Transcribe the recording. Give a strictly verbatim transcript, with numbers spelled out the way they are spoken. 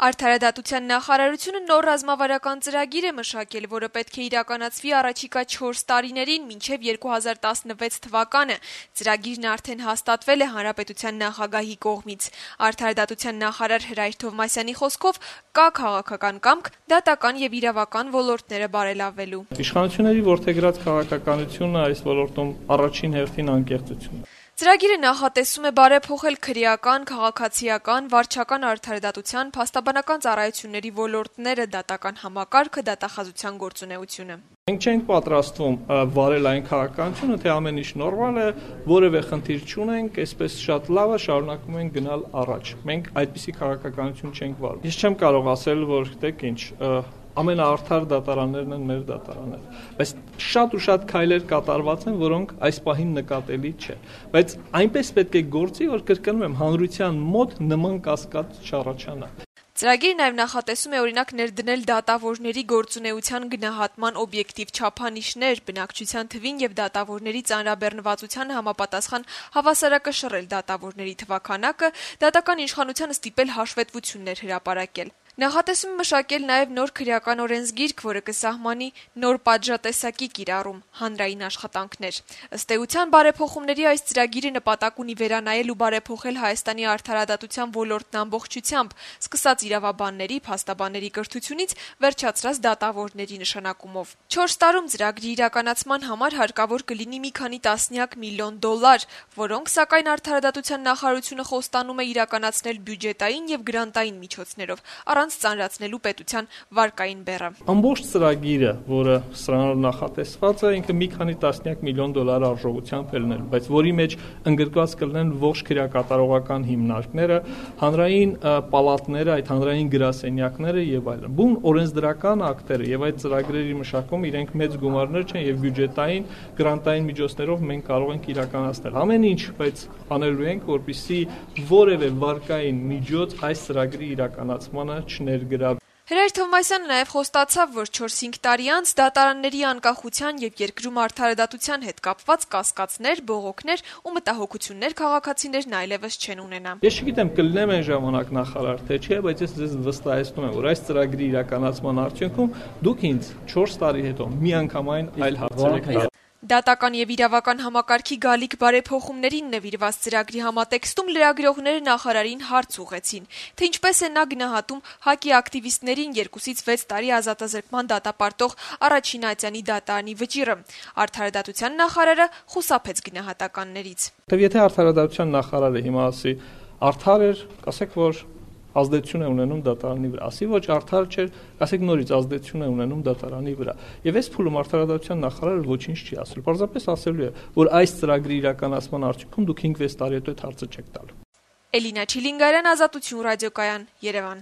Արդարադատության նախարարությունը նոր ռազմավարական ծրագիր է մշակել, որը պետք է իրականացվի առաջիկա չորս տարիներին, մինչև երկու հազար տասնվեց թվականը։ Ծրագիրն արդեն հաստատվել է հանրապետության նախագահի կողմից։ Արդարադատության նախարար Հրայր Թովմասյանի խոսքով կա քաղաքական կամք դատական եւ իրավական ոլորտները բարելավելու։ Իշխանությունների որդեգրած քաղաքականությունը այս ոլորտում առաջին հերթին անկեղծությունն է։ Ծրագիրը նախատեսում է բարեփոխել քրեական, քաղաքացիական, վարչական արդարադատության, փաստաբանական ծառայությունների ոլորտները, դատական համակարգը, դատախազության գործունեությունը։ Մենք չենք պատրաստվում վարել այն քաղաքականությունը, թե ամեն ինչ նորմալ է, որևէ խնդիր չունենք, այսպես շատ լավ է, շարունակում ենք գնալ առաջ։ Մենք այդպիսի քաղաքականություն չենք վարում։ Ես չեմ կարող ասել, որ գիտեք ինչ, ամենաարդար դատարաններն են մեր դատարանները, բայց շատ ու շատ քայլեր կատարված են, որոնք այս պահին նկատելի չէ, բայց այնպես պետք է գործի, որ կրկնում եմ, հանրության մոտ նման կասկած չառաջանա։ Ծրագիրը նաև նախատեսում է օրինակ ներդնել դատավորների գործունեության գնահատման օբյեկտիվ չափանիշներ, բնակչության թվին եւ դատավորների ծանրաբեռնվածության համապատասխան հավասարակշռել դատավորների թվաքանակը, դատական իշխանությանը ստիպել հաշվետվություններ հրապարակել։ Նախատեսում է մշակել նաև նոր քրեական օրենսգիրք, որը կսահմանի նոր պատժատեսակի կիրառում, հանրային աշխատանքներ։ Ըստ էության բարեփոխումների այս ծրագիրը նպատակ ունի վերանայել ու բարեփոխել Հայաստանի արդարադատության ոլորտն ամբողջությամբ, սկսած իրավաբանների, փաստաբանների կրթությունից վերջացրած դատավորների նշանակումով։ Չորս տարում ծրագրի իրականացման համար հարկավոր կլինի մի քանի տասնյակ միլիոն դոլար, որոնք սակայն արդարադատության նախարարությունը խոստանում է իրականացնել բյուջետային եւ գրանտային միջոցներով, առանց ծանրացնելու պետության վարկային բեռը։ Ամբողջ ծրագիրը, որը սրանով նախատեսված է, ինքը մի քանի տասնյակ միլիոն դոլար արժողությամբ է լինելու, բայց որի մեջ ընդգրկված կլինեն ողջ քրեակատարողական հիմնարկները, հանրային պալատները, այդ հանրային գրասենյակները եւ այլն։ Բուն օրենսդրական ակտերը եւ այդ ծրագրերի մշակումը իրենք մեծ գումարներ չեն եւ բյուջետային, գրանտային միջոցներով մենք կարող ենք իրականացնել ամեն ինչ, բայց անելու ենք, որպեսզի որևէ վարկային միջոց այս ծրագրի իրականացմանը չներգրավի։ Հրայր Թովմասյանը նաև խոստացավ, որ չորս-հինգ տարի անց դատարանների անկախության եւ երկրում արդարադատության հետ կապված կասկածներ, բողոքներ ու մտահոգություններ քաղաքացիներն այլևս չեն ունենա։ Ես չգիտեմ կլինեմ այն ժամանակ նախարար թե չէ, բայց ես ձեզ վստահեցնում եմ, որ այս ծրագրի իրականացման արդյունքում դուք ինձ չորս տարի հետո միանգամայն այլ հարցեր եք տալու։ Դատական եւ իրավական համակարգի գալիք բարեփոխումներին նվիրված ծրագրի համատեքստում լրագրողները նախարարին հարց ուղղեցին, թե ինչպես է նա գնահատում ՀԱԿ-ի ակտիվիստներին երկուսից վեց տարի ազատազրկման դատապարտող առաջին ատյանի դատարանի վճիռը։ Արդարադատության նախարարը խուսափեց գնահատականներից։ Եթե արդարադատության նախարարը հիմա ասի արդար էր, ասեք, որ ազդեցություն է ունենում դատարանի վրա, ասի ոչ արդար չէր, ասեք նորից ազդեցություն է ունենում դատարանի վրա։ Եվ այս փուլում արդարադատության նախարարը ոչինչ չի ասել, պարզապես ասելու է, որ այս ծրագրի իրականացման արդյունքում դուք հինգ-վեց տարի հետո այդ հարցը չեք տալու։ Էլինա Չիլինգարյան, Ազատություն ռադիոկայան, Երևան։